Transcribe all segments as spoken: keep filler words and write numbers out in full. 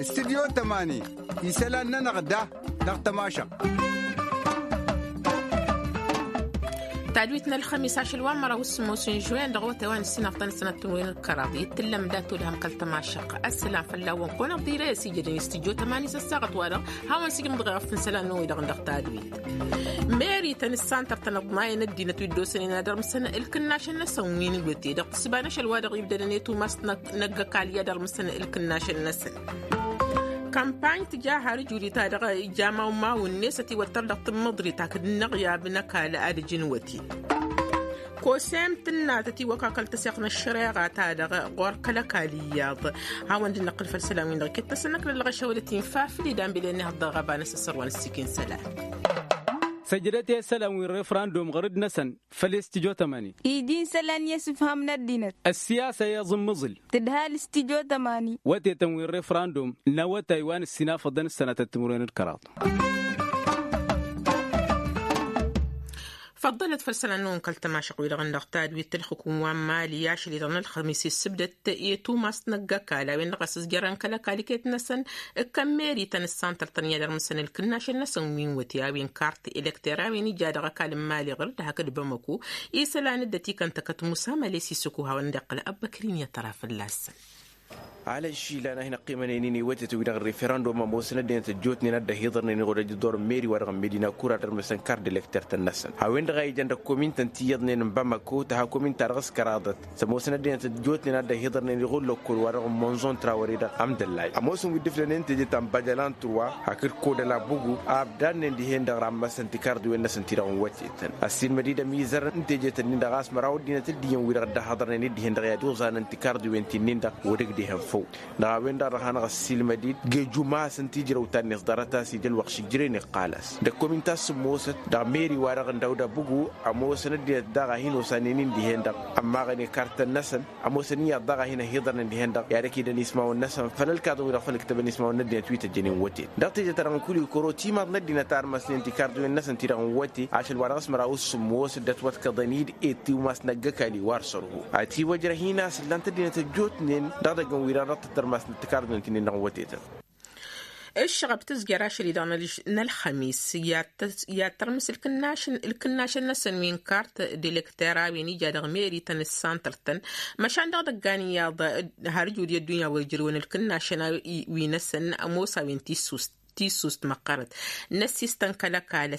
Studyo tămani isălan-nănăɣ da dăɣ-tămašăɣt. Tadwit n-ălxămis ašăl wa n-măraw s-sămoos n-žuwen dăɣ-wătay wa n-ǝssinăɣtăn sănăt n-wen ǝlkăraḍ i-tǝllăm dat-olhăm kăl-tămašăɣt. Ăssălam fălla-wen kăwăn-ăḍḍirăy s-ijădăn i-studyo tămani s-ăssaɣăt-wa-dăɣ hawăn-sǝjǝmḍăɣ i-ɣăf n-isălan n-oy-dăɣ dăɣ-tadwit. Meri-tăn ǝssan tărtăn ǝḍmayăn ăddinăt wi dd-osănen ad-ărmǝsăn ǝlkǝnnašăn-năsăn wi n-wăte dăɣ-tǝsba n-ašăl wa-dăɣ ibdădăn i-tumas n-ăgg-ăkall i-ad-ărmǝsăn ǝlkǝnnašăn-năsăn. Kămpany tǝja har ǝjudit-a-dăɣ ija mawmaw-net ătiwăttăr dăɣ-tǝmmǝḍrit hakd ǝnnăɣyab n-ăkall ad-ǝjǝn wăte. Kosem tǝnna tătiwăkakăl tăseɣt n-ăššăreɣa-ta-dăɣ ɣur-kăl-ăkall iyyăḍ. Hawăn-dd-năqqǝl făll-isălan-win-dăɣ iket-tăsăn ăknăl dăɣ-ăššăwălăt infa făll-idan bile n-ihăḍ dăɣ-ɣaba n-asăsăr wa n-ǝssikǝn isălan. Săjdăt i-isălan wi n-refrandum ɣărăd-năsăn făll-i studyo tămani. Iji n-isălan i-asǝfham n-ăddinăt. Ăssiyasa i-aẓǝmmǝẓǝl. Tǝdhal studyo tămani. Wătetăn wi n-refrandum n-awătay wa n-ǝssinafăḍăn s-sănatăt timǝrwen d-kăraḍ. Făḍḍălăt făll-isălan-năwăn kăl-tămašăɣt-wi-dăɣ n-dăɣ tadwit tǝlxǝkum wa n-mali ašăl-i-dăɣ n-ălxămis issǝbdăt i-tumas n-ăgg-ăkall a-wen-dăɣ a-s ǝzjărăn kăl-ăkall iket-năsăn. Ǝkkăn meri-tăn ǝssantăr-tăn i-ad-ărmǝsăn ǝlkǝnnašăn-năsăn wi n-wăte a-wen kart elekter a-wen ija dăɣ-ăkall n-mali ɣǝr-dd hakd bamăko. Isălan dd-ătikăn-tăkăt musa măles isǝkuha wăn-dd-iqqǝl ăbbăkrin i-ad-tăra fălla-săn. Alănšila n-a hin-ăqqimănen-in i-wătetăn-wi-dăɣ n-referandum ămoosăn ăddinăt ăjjootnen ad-dd-ăhiḍărnen i-ɣur-ăjj ăḍḍor n-meri-wa-dăɣ n-medina kura ad-ărmăsăn kard elekter-tăn-năsăn a-wen-dăɣ a ijăn dăɣ-komintăn ti iyyăḍnen n-bamăko tăha kominta-dăɣ s-kăraḍăt. S-ămoosăn ăddinăt ăjjootnen ad-dd-ăhiḍărnen i-ɣur-lăkkol-wa-dăɣ n-monzon trawăre dăɣ-amdăllay ămoosăn wi dd-ǝflănen teje ta n-bajălan turwa hakd kodăla bugu a ăbdannen dihen-dăɣ rammăsăn tikarḍiwen-năsăn ti-dăɣ n-wătetăn. Ăssiilmăd-dd ămizăr n-teje-tăn-in-dăɣ a-s măraw ăddinăt dd-iyyăn wi-dăɣ dd-ăhhăḍărnen-dd dihen-dăɣ i-ad-oẓanăn tikarḍiwen ti-nin-dăɣ wăr ǝgdehăn făw. Dăɣ-a-wen-dăɣ a dăɣ-hanăɣ-ăssiilmăd-dd geju masăn ti ijrăw ta-net ḍarăt a-s ija ălwăqq šǝjjǝren iqqal-as dăɣ-komint a-s ǝmmosăt dăɣ-meri-wa-dăɣ n-dawda bugu. Ămoosăn ăddinăt daɣ a hin-osanen-in dihen-dăɣ ămmaɣăn i-kartăn-năsăn ămoosăn iyyăḍ daɣ a hin-ăhiḍărnen dihen-dăɣ i-ad-ăkidăn ismawăn-năsăn făll-ălkaḍăn-wi-dăɣ făll-ǝktăbăn ismawăn n-ăddinăt wi tăjjănen wăten dăɣ-teje-ta-dăɣ n-kul-i kăro timăḍ n-ăddinăt a ărmăsnen tikarḍiwen-năsăn ti-dăɣ n-wăte ašăl wa dăɣ-s măraw s-sǝmmos dd-ătwăḍkăḍăn-dd i-tiwmas n-ăgg-ăkall i-wa ărsărhu. Ătiwăjrăh-in a-s ǝllan-t ăddinăt ăjjootnen dăɣ-idăggăn-wi-dăɣ dăɣ-tăt-ărmasnăt tikarḍiwen ti-nin-dăɣ n-wătetăn. Ǝššăɣăb tǝzjăr ašăl-i-dăɣ n-ălxămis i-ad-tărmǝs ǝlkǝnnašăn-năsăn wi n-kart d-elekter a-wen ija dăɣ-meri-tăn d-santăr-tăn. Măšan dăɣ-idăggan iyyăḍ har ǝjud i-ăddunya wa ijrǝwăn ǝlkǝnnašăn wi-năsăn ămoos a-wen tissust tissust măqqărăt. N-ăssistăn kăl-ăkall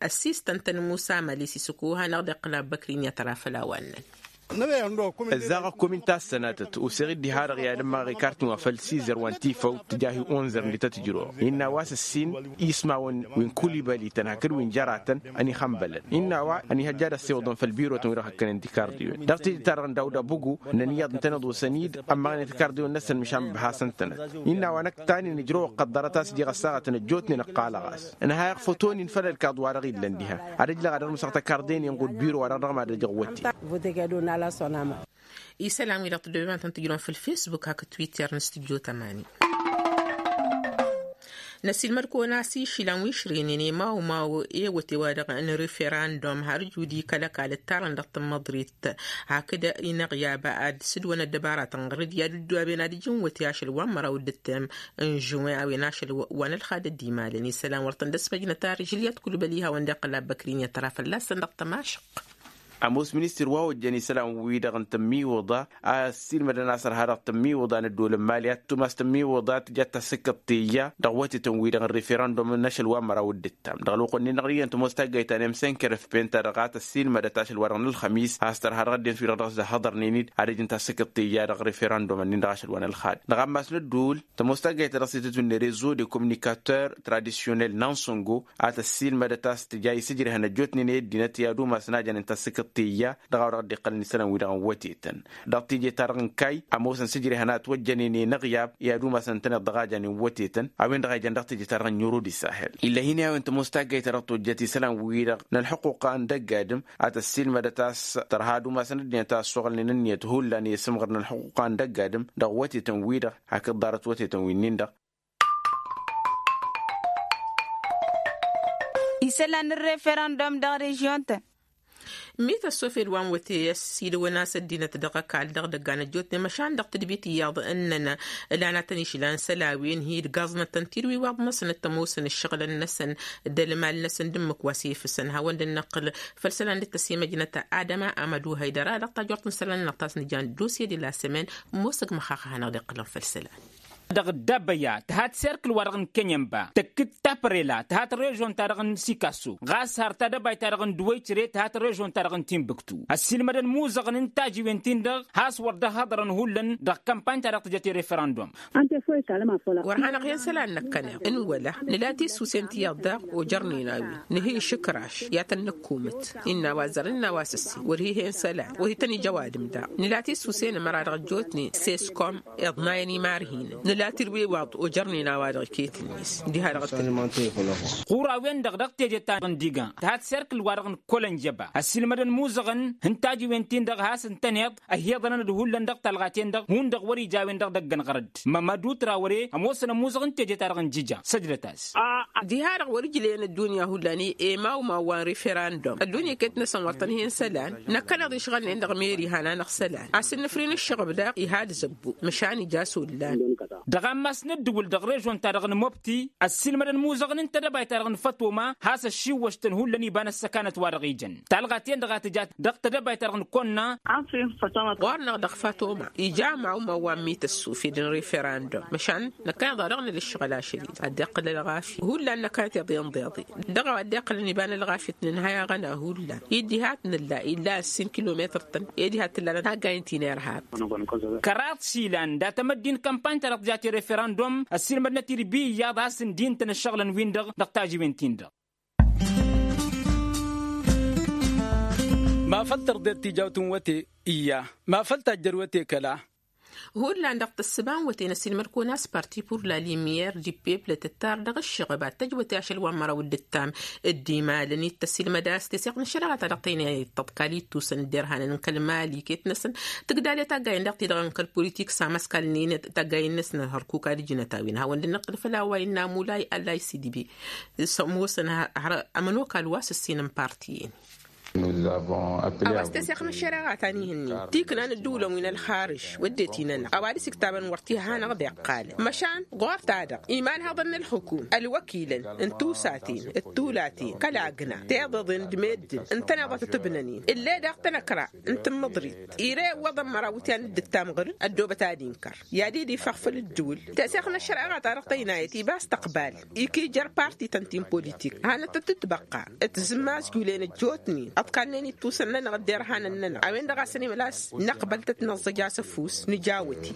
ăssistăn-tăn musa măli s-isǝkuha n-ad-iqqǝl abbăkri n-i-ad-tăra făll-a-wa ǝnnăn. Ǝzzaɣ ăkkomin ta s-sănatăt oseɣ-dd diha-dăɣ i-ad-ǝmmaɣ ikartǝn wa făll-sizăr wa n-tifăw tǝja hi-onzăr n-dităt ǝjrăwăɣ innă a-wa s-ǝssin ismawăn wi n-kulibalităn hakd wi n-jăratăn. Ănihănbălăn innă a-wa ănihăjja ad-ăssewăḍăn făll-birotăn wi-dăɣ hăkkănen tikarḍiwen dăɣ-teje-ta-dăɣ n-dawda bugu. Ǝnnăn iyyăḍ ǝntăneḍ osăn-dd ămmaɣnen tikarḍiwen-năsăn măšan băhasăn-tănăt. Innă a-wa năkk tanin ǝjrăwăɣ kăḍḍărăt a-s ǝjeɣ ăssaɣătăn ăjjootnen ǝqqalăɣ-as. Ǝnhayăɣ fătonin făll-ălkaḍ-wa-dăɣ illăn diha ad-ǝjlăɣ ad-ărmǝsăɣ takardăynen ɣud biro-wa-dăɣ dăɣ-mad-ăjăɣ wătte. Isălan-wi-dăɣ tăddobem ad-tăn-tǝjrăwăm făll-facebook hakd twitter n-studyo tămani. Năsilmăd-kăwăn a-s išilăn wi ǝšrǝynen i-mawmaw i-ewăte-wa-dăɣ n-referandum har jud-i kăl-ăkall ǝttarăn dăɣ-tǝmmăḍrit hakd inăɣyab ad-sǝdwăn ăddăbaratăn ɣur-dd i-ad-ǝddoaben ad-ǝjǝn wăte ašăl wa n-măraw d-ǝttem n-žuwen a-wen ašăl wa n-ălxad dd-imalăn isălan wăr tăn-dd-ăsmăjnăt ar žǝlyăt kulbăl ihawăn d-iqqǝl abbăkri n-i-ad-tăra fălla-săn dăɣ-tămašăq. Ămoos ministir wa ojjăn isălan-wi-dăɣ n-tămmiwǝḍa a ăssiilmădăn a-s ărha dăɣ-tămmiwǝḍa n-ăddol n-mali ad-tumas tămmiwǝḍa tǝjat tasǝkkăḍt teyya dăɣ-wătetăn-wi-dăɣ n-referandum n-ašăl wa n-măraw d-ǝttam dăɣ-ălwăqq-wen-dăɣ iyyăn tămoos taggayt ta n-emsenker efpen ta dăɣ-a tăssiilmădăt ašăl wa dăɣ-nălxămis a-s tărha dăɣ-ăddinăt wi-dăɣ dăɣ-s dd-ăhhăḍărnen-dd ad-ăj n-tasǝkkăḍt teyya dăɣ-referandum-nin dăɣ-ašăl wa n-ălxad. Dăɣ-ammas n-ădduul tămoos taggayt ta dăɣ-s itǝtwǝnne rezo de communicateur tradisyonel n-ansongo a tăssiilmădăt a-s tǝja isǝjrehăn ăjjootnen i-ăddinăt i-ad-umasăn a janen tasǝkkăḍt teyya dăɣ-a-wa dăɣ-dd-iqqălăn isălan-wi-dăɣ n-wătetăn. Dăɣ-teje-ta-dăɣ n-kayy ămoosăn sǝjrehăn a ătwăjjănen i-inăɣyab i-ad-umasăn ǝntăneḍ dăɣ-a janen wătetăn. A-wen-dăɣ a ijăn dăɣ-teje-ta-dăɣ n-irodis sahel ill'-e hin-i a-wen tămoos taggayt ta dăɣ-tojjăt isălan-wi-dăɣ n-ălxuqquqa n-dăgg-adǝm a tăssiilmădăt a-s tărha ad-umasăn ăddinăt a ăssoɣălnen ǝnniyăt hullan i-asǝmɣăr n-ălxuqquqa n-dăgg-adǝm dăɣ-wătetăn-wi-dăɣ hakd ḍarăt wătetăn-winnin-dăɣ. Isălan n-referandum dăɣ-režyon-tăn. Mi tăssofed wa n-wăte ăssiilăwăn a-s ăddinăt dăɣ-ăkall dăɣ-idăggan ăjjootnen măšan dăɣ-tadbit iyyăḍ ǝnnăn. Ǝlanatăn išlan isălan wi n-hi-dd gaẓnătăn tidwiwaḍ măsnăt ămoosăn ǝššăɣǝlăn-năsăn d-ălmal-năsăn d-ǝmmǝk wa s-efǝsăn hawăn-dd-năqqǝl. Făll-isălan dd-tăsimăjnăt adăma amădu hăydăra dăɣ-tajort n-isălan-năɣ ta s-nǝjan dosye de la sămen. Ămoosăg măxax a hanăɣ-dd-iqqǝlăn făll-isălan. Dăɣ-dd-abăya tǝhat serkǝl-wa-dăɣ n-kănyănba tăkk-dd taprela tǝhat režon-ta-dăɣ n-sikasso ɣas har tadăbayt-ta-dăɣ n-dwăycre tǝhat režon-ta-dăɣ n-tinbǝktu. Ăssiilmădăn imuzăɣăn n-tajiwen-tin-dăɣ has-wăr dd-ăhhăḍărăn hullan dăɣ-kămpany-ta-dăɣ tǝjăt i-referandum. Wăr hanăɣ-hen isălan năkkăneḍ n-wăla nǝla tisusen tiyyăḍ daɣ ojărnen a-wen nǝhǝy išǝkraš i-ad-tăn-nǝkkumǝt. Innă a-wa zărăn innă a-wa s-ǝssin wăr hi-hen isălan wăr hi-tăn-ija ăwadǝm daɣ nǝla tisusen ămăra dăɣ-ăjjootnen seskom iḍnayăn imarhinăn nǝla tirwiwaḍ ojărnen a-wa-dăɣ iket-net. Diha-dăɣ ăttănăn. Ɣur-a-wen-dăɣ dăɣ-teje ta n-diga tǝha-t serkǝl-wa-dăɣ n-kălănjăba ăssiilmădăn imuzăɣăn n-tajiwen-tin-dăɣ has-ǝntăneḍ ăhiḍănăn d-hullan dăɣ-talɣa-ten-dăɣ hundăɣ wăr-ijawen dăɣ-idăgg ănɣărăd. Mămădu trawăre ămoosăn ămuzăɣ n-teje-ta-dăɣ n-jija săjdăt-as. Diha-dăɣ wăr-ǝjlăyăn ăddunya hullan i-emawmaw wa n-referandum ăddunya iket-năsăn wăr tăn-hen isălan. Năkkăneḍ išɣălnen dăɣ-meri hananăɣ isălan a-s ǝnnǝfrin ǝššăɣb daɣ ihad zăbbu măšan ija s-ollan. Dăɣ-ammas n-ǝddǝwǝl dăɣ-režon-ta-dăɣ n-mobti ăssiilmădăn imuzăɣăn n-tedăbayt-ta-dăɣ n-fătoma has-ăššiwwăštăn hullan iba n-ăssăkanăt wa dăɣ-ijăn talɣa-ten-dăɣ a tǝja dăɣ-tedăbayt-ta-dăɣ n-konna. Ɣur-năɣ dăɣ-fătoma ija mawmaw wa n-mităssufed n-referandum măšan năkkăneḍ-a-dăɣ nǝla ǝššăɣǝl ašăl-i-dăɣ ad-dd-iqqǝlăn ălɣafyăt hullan năkkăneḍ iḍeḍ iḍeḍ. Dăɣ-a-wa dd-iqqǝlăn iba n-ălɣafyăt nǝnhăy aɣăna hullan i-diha a t-nǝlla illa ǝssin kilometăr-tăn i-diha a t-tǝllanăt taggayǝn ti n-irhab. Kăraḍ s-ilan dat-emăddi n-kămpany-ta-dăɣ tǝja ti-referandum ăssiilmădnăt-dd bi iyyăḍ a-s ǝndin-tăn ǝššăɣǝlăn-win-dăɣ dăɣ-tajiwen-tin-dăɣ. Ma făl tărḍet tijawt n-wăte iyya ma făl tajjăr wăte kăla. Hullan dăɣ-tǝssǝba n-wăte n-ăsiilmăd-kăwăn a-s parti pur la limyăr di pepl tǝttar dăɣ-ǝššăɣăb ad-tăj wăte ašăl wa n-măraw d-ǝttam. Dd-imalăn-i t-ăsiilmăd a-s teseɣt n-ăššăreɣa ta dăɣ-tăynayăt tăḍkal ittusăn dd-irhanăn n-kăl-mali iket-năsăn tǝgdal i-taggayen daɣ-ti-dăɣ n-kăl-politik s-amăskalnen taggayen-năsăn hărkuk ad-ǝjnăt a-wen hawăn-dd-năqqǝl făll-a-wa innă mulay alay sidbi. S-ămoosăn har ămănokal wa s-ǝssin n-parti-en. A-wa s-teseɣt n-ăššăreɣa ta n-ihǝnnin tikna n-ǝddǝwǝlăn wi n-ălxarǝž wădden-t-inănăɣ a-wa dăɣ-s iktabăn wăr t-iha hanăɣ-dd-iqqalăn măšan ɣur-ta-dăɣ iman haḍăn n-ălxukum ălwăkilăn n-tusaten d-tulaten kăl-agna tiḍeḍen d-meddǝn ǝntăneḍ a tăt-ǝbnănen ǝlleḍ daɣ tanăkra n-tǝmmǝḍrit ire iwwăḍăn măraw iwǝtyan dd-ǝttam ɣǝr-dd ăddoobăt ad-inkăr i-ad-dd-ifăɣ făll-ǝddǝwǝl. Teseɣt n-ăššăreɣa ta dăɣ-tăynayăt iba s-tăqbal ikijăr parti-tăn ti n-politik hanăt-tăt-ǝtbăqqa tǝzǝmmazjulăn ăjjootnen ăḍkallnen ittusăn-nănăɣ dd-irhanăn-nănăɣ a-wen-dăɣ a-s ănimălas năqbăl-tăt năẓẓăj asăfus nǝja wăte.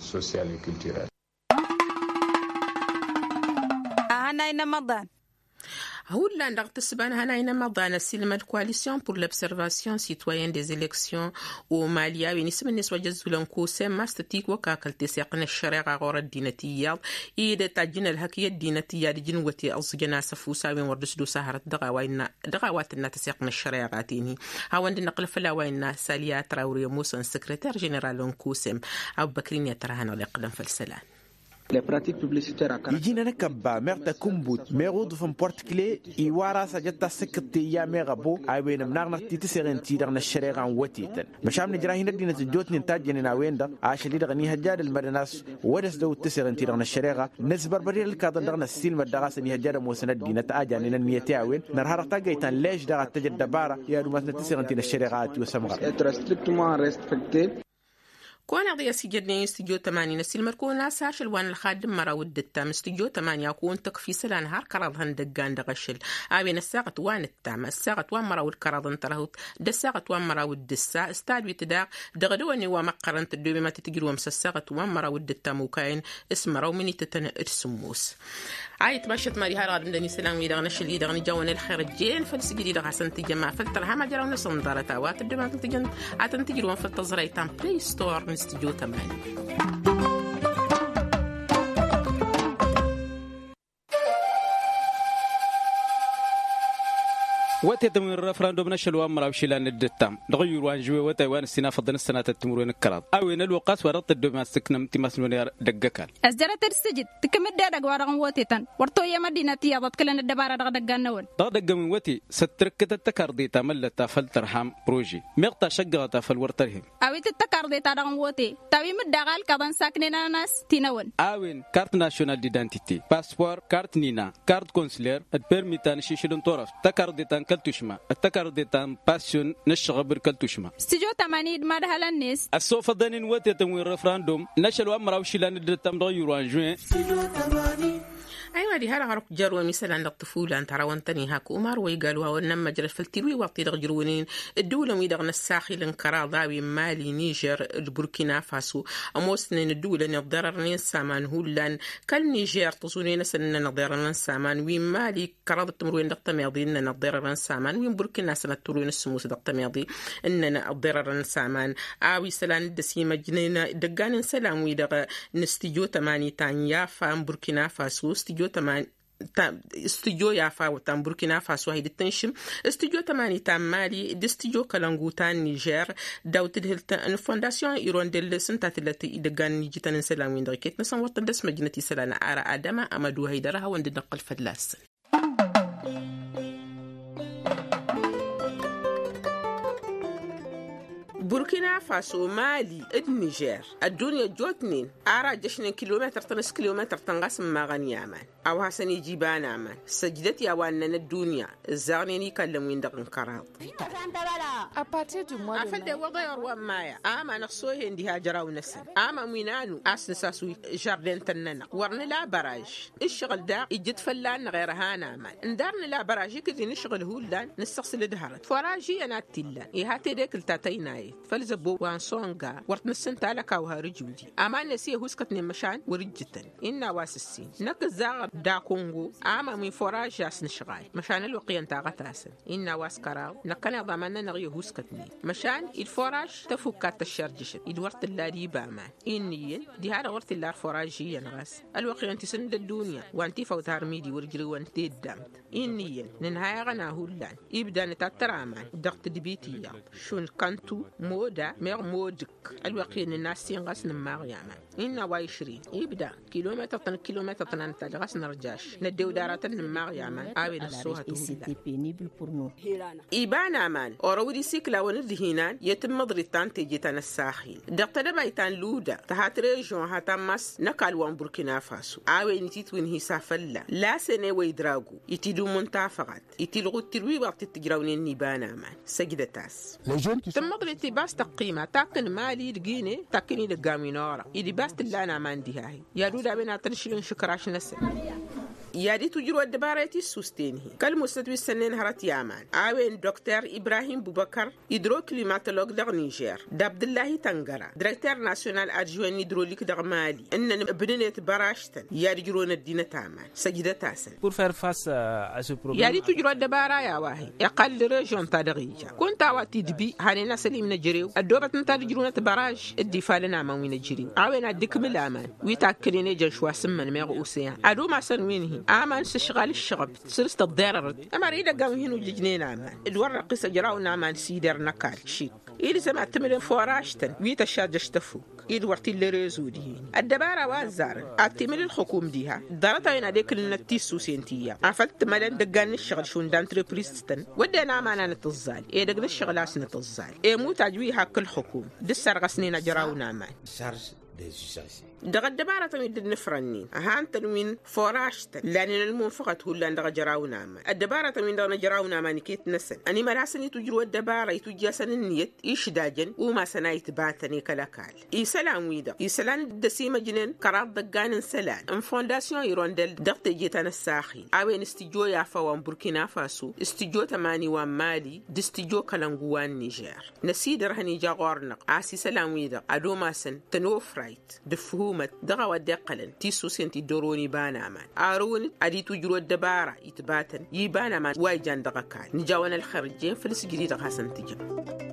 Ahanay n-ămăḍan. Hullan dăɣ-tǝssǝba n-ahanay n-ămăḍan ăsiilmăd koalisyon pur lăbsărvasyon sitwayen des eleksyon. Omali a-wen isǝm-net wa jăzzulăn kosem ma s-tătiwăkakăl teseɣt n-ăššăreɣa ɣur-ăddinăt iyyăḍ i-dd-tajjǝn ălhăk i-ăddinăt iyyăḍ ǝjǝn wăte ăẓẓǝjăn asăfus a-wen wăr dăɣ-s dd-osahărăt dăɣ-a-wa tǝnna tăseɣt n-ăššăreɣa ten-hi. Hawăn-dd-năqqǝl făll-a-wa innă saliya trawre ămoosăn săkrăter ženeral n-kosem. Abbăkrin i-ad-tărha hanăɣ-dd-iqqǝlăn făll-isălan. Iji-nănăk ăbba meɣ takǝnbut meɣ uḍǝf n-port kle iwar a-s ajăt tassǝkkǝḍt teyya meɣ ăbo a-wen ǝmnaɣnăɣ-t i-tǝseɣen-ti-dăɣ n-ăššăreɣa n-wătetăn. Măšan nǝjrah-in ăddinăt ăjjootnen tajjănen a-wen-dăɣ ašăl-i-dăɣ ănihăjja ad-ǝlmădăn a-s wăr dăɣ-s dăw-t tǝseɣen-ti-dăɣ n-ăššăreɣa. Nǝzbărbăd i-ad-ǝlkaḍăn dăɣ-năssiilmăd dăɣ-a-s ănihăjja ad-ămoosăn ăddinăt a janen ănniyăt i-a-wen nărha dăɣ-taggăyt ta n-lež daɣ ad-tăj ăddăbara i-ad-umasnăt tǝseɣen-ti n-ăššăreɣa a tiwăsăm ɣăr. Kăwăn-eḍ i-ăsijădnen i-studyo tămani n-ăsiilmăd-kăwăn a-s ašăl wa n-ălxadd n-măraw d-ǝttam studyo tămani a kăwăn-tăkf isălan har kăraḍ ihăndăggan dăɣ-ašăl. A-wen ăssaɣăt wa n-ǝttam ăssaɣăt wa n-măraw d-kăraḍ n-tărhut d-ăssaɣăt wa n-măraw d-ǝssa s-tadwit daɣ dăɣ-dăwănnin wa măqqărăn tăddoobem ad-tăt-ǝjrǝwăm s-ăssaɣăt wa n-măraw d-ǝttam okayăn s-măraw minitătăn d-sǝmmos. A itmašăt mad-iha dăɣ-ad-ǝmdăn isălan-wi-dăɣ n-ašăl-i-dăɣ n-ijawăn ălxer ăjjeen făll-sǝjdid dăɣ-hasăn-tǝjjăm afăl tărha majăraw-năsăn ḍarăt a-wa tăddom ad-tăn-tǝjrǝwăm făll-tăẓrayt ta n-play store n-studyo tămani. Wătetăn wi n-refrandum n-ašăl wa n-măraw išilan d-ǝttam dăɣ-ǝyyur wa n-žuwe wătay wa n-ǝssin afăḍăn ǝssănatăt timǝrwen ǝkkăraḍ a-wen ălwăqqas wa dăɣ-tăddomas tǝknăm timasnăwen i-ad-ăggăkal. Ăzjărăt-dd s-ǝjǝd tǝkǝm-dd edăgg-wa-dăɣ n-wătetăn wăr toyyăm ăddinăt iyyăḍ ăḍkǝlăn ăddăbara dăɣ-idăggan-năwăn. Dăɣ-idăgg-ăwin wăte s-ăttărǝkkăt ăttăkarḍe ta măllăt ta făll-tărham prože meɣ ta šăggăɣăt a făl wăr tărhem. A-wen tǝttăkarḍe-ta-dăɣ n-wăte ta wi mǝdda ɣalkăḍăn saknen-anăn a-s ti n-ewăn. A-wen kart nasyonal d-idantite paspor kart nina kart konsler d-permi ta n-ašišǝl n-turăft tăkarḍe ta n-kăl-tušma d-tăkarḍe ta n-pasyon n-ǝššăɣăb d-kăl-tušma. Stijo tămani d-madhălăn-net. Ăssofăḍăn-in wătetăn wi n-refrandum n-ašăl wa n-măraw išilan d-ǝttam dăɣ-iyyur wa n-žuwen. Aywa diha-dăɣ aruk jer-wăn isălan dăɣ-tǝfulan tărawăn-tăn-i hak umar wa igal wa wănnăn măjrăd făll-tirwiwaḍt-i-dăɣ ǝjrǝwnen ǝddǝwǝlăn-wi-dăɣ n-ăssaxil n-kăraḍ a-wen mali nižer d-burkina faso. Ămoosnen ǝddǝwǝlăn iḍḍerărnen s-aman hullan kăl-nižer tăẓunen-asăn ǝnnăn ăḍerărăn s-aman wi n-mali kăraḍ d-timǝrwen dăɣ-tămeḍe ǝnnăn ăḍḍerărăn s-aman wi n-burkina sănăt timǝrwen s-sǝmmos dăɣ-tămeḍe ǝnnăn ăḍḍerărăn s-aman. A-wa isălan dd-ăsimăjnen idăggan n-isălan-wi-dăɣ n-stijo tămani ta n-yafa n-burkina faso stijo tămani ta n-burkina faso a hi-dd-tǝnšǝm stijo tămani ta n-mali d-stijo kălăngu ta n-nižer. Daw-tǝdhǝlt n-fondasyon irondel s-ǝnta tǝllăt idăggan n-ijităn n-isălan-win-dăɣ iket-năsăn wăr tăn-dd-ăsmăjnăt isălan ara adăma amădu haydăr a hawăn-dd-năqqǝl fălla-săn. Burkina faso mali d-nižer ăddunya ăjjootnen ara ăjjăšnen kilometăr-tăn s-kilometăr-tăn ɣas n-imaɣăn i-aman a-wa hasăn-ija iba n-aman săjdăt i-a-wa ǝnnăn ăddunya ǝzzaɣnen ikallăn-win-dăɣ n-kăraḍ. Afăl d-ewwăḍăy ăru ămmaya aman ăxsohen diha jăraw-năsăn aman wi n-anu a-s nǝsas wi žardin-tăn-nănăɣ wăr nǝla băraž. Ǝššăɣǝl daɣ ijjǝt fălla-năɣ irhan aman ǝndar nǝla băraž ikǝd-in ǝššăɣǝl hullan nǝssăɣsǝl d-hărăt făraž iyyăn a t-illan iha tedekǝlt ta tăynayet făll-zăbbo wa n-songa wăr t-nǝssǝnta alăkaw har ǝjudi. Aman-net i-ăhuskătnen măšan wăr ǝjjǝtăn innă a-wa s-ǝssin năkk ǝzzaɣăt dakongo aman wi n-făraž a-s nǝšɣal măšan ălwăqq iyyăn taɣăt-asăn. Innă a-wa s-kăraḍ năkkăneḍ aman-nănăɣ i-ăhuskătnen măšan d-făraž tăfukka t-ăššărjăšăt-dd wăr t-ǝlla d-iba aman. Innă iyyăn diha-dăɣ wăr t-illa ar făraž iyyăn ɣas ălwăqq iyyăn tisǝnd ăddunya wa n-tifawt har midi wăr ǝjrǝwăn teddamtă. Innă iyyăn nǝnhayăɣăn a hullan ibda nǝtattăr aman dăɣ-tǝdbit iyyăḍ šund kăntu moda meɣ modǝk. Ălwăqq iyyăn nǝnna ăssin ɣas nǝmmaɣ i-aman innă a-wa išrin ibda kilometăr-tăn kilometăr-tăn a nǝtajj ɣas nărjaš năddew d-aratăn nǝmmaɣ i-aman. A-wen ăṣṣuhăt hullan. Iba n-aman orăw d-isikla wăn-dd-hinan i-tǝmmăḍrit ta n-teje ta n-ăssaxil dăɣ-tedăbayt ta n-luda tăhat režion ha tammas n-ăkall wa n-burkina faso a-wen ititwǝnhǝy s-afălla lasen i-wa idragu itidǝmmun tafăɣat itilɣu d-tirwiwaḍt t-tǝjrawnen n-iba n-aman. Săjdăt-as. Tǝmmăḍrit ibas tăqqima takkǝn mali d-gine takkǝn idăggan wi n-orăɣ-i d-ibas tǝllan aman diha-hi i-ad-udawen ad-tăn-išlǝn išǝkraš-năsăn. I-ad-itwǝjrǝw ăddăbara i-tissusten-hi kăl-musnăt wi s-sănnen hărăt i-aman a-wen dokter ibrahim bubăkăr idro klimatolog dăɣ-nižer d-abdǝllahi tăngăra direkter nasyonal adžuwen n-idrolik dăɣ-mali ǝnnăn ǝbnǝnet băražtăn i-ad-ǝjrǝwăn ăddinăt aman. Săjdăt-asăn. I-ad-itwǝjrǝw ăddăbara i-a-wa-hi iqqal d-režion-ta-dăɣ ija kunta a-wa tidbi hanen asălim n-ejărew ăddoobătăn ta d-ǝjrǝwnăt băraž dd-ifalăn aman wi n-ejărew a-wen ad-dd-ikmǝl aman wi takkǝnen ejăn šwa s-ǝmmăn meɣ osean ad-umasăn win-hi aman s-ǝšɣal ǝššăɣăb săr-s tăḍḍerărăt. Ămăra idăggan wi hin-ujjǝjnen aman d-wăr răqqis ăjraw n-aman s-ider n-ăkall šik ilzăm ad-tǝmǝlăn făwăražtăn wi tăššarjăš tăfuk-i d-wăr t-illa rezo dihen-i ăddăbara wa ăzzarăn ad-t-imǝl ǝlxǝkum diha. Ḍarăt-a-wen ad-ekǝlnăt tissusen ti iyyăḍ afăl t-mălăn idăggan n-ǝššăɣǝl šund antrepriztăn wădden aman a nǝtǝẓẓal edăgg n-ǝššăɣǝl a-s nǝtǝẓẓal. Emutaj wi hakk ǝlxǝkum d-ǝssărɣăsnen ajraw n-aman. Dăɣ-ăddăbarătăn wi dd-nǝfrănnen ăhantăn wi n-făwăražtăn lanen ălmunfăɣăt hullan dăɣ-ajraw n-aman ăddăbarătăn-win-dăɣ n-ajraw n-aman iket-năsăn ănimăl hasăn-itwǝjrǝw ăddăbara itwǝjj'-asăn ǝnniyăt išdajăn umasăn a itbatăn i-kăl-ăkall isălan-wi-dăɣ isălan dd-ăsimăjnen kăraḍ idăggan n-isălan n-fondasyon irondel dăɣ-teje ta n-ăssaxil a-wen s-tǝjjo i-afa wa n-burkina faso s-tǝjjo tămani wa n-mali d-s-tǝjjo kălăngu wa n-nižer. Năsidărhăn ija ɣur-năɣ a-s isălan-wi-dăɣ ad-umasăn tănofrayt d-ǝffǝhumăt dăɣ-a-wa dd-iqqălăn tissusen ti dd-orăwăn iba n-aman arǝwăn-dd ad-itwǝjrǝw ăddăbara itbatăn i-iba n-aman wa ijan dăɣ-ăkall nǝjawăn ălxer ǝjjen făll-sǝjdǝy dăɣ-hasăn-tǝjăm.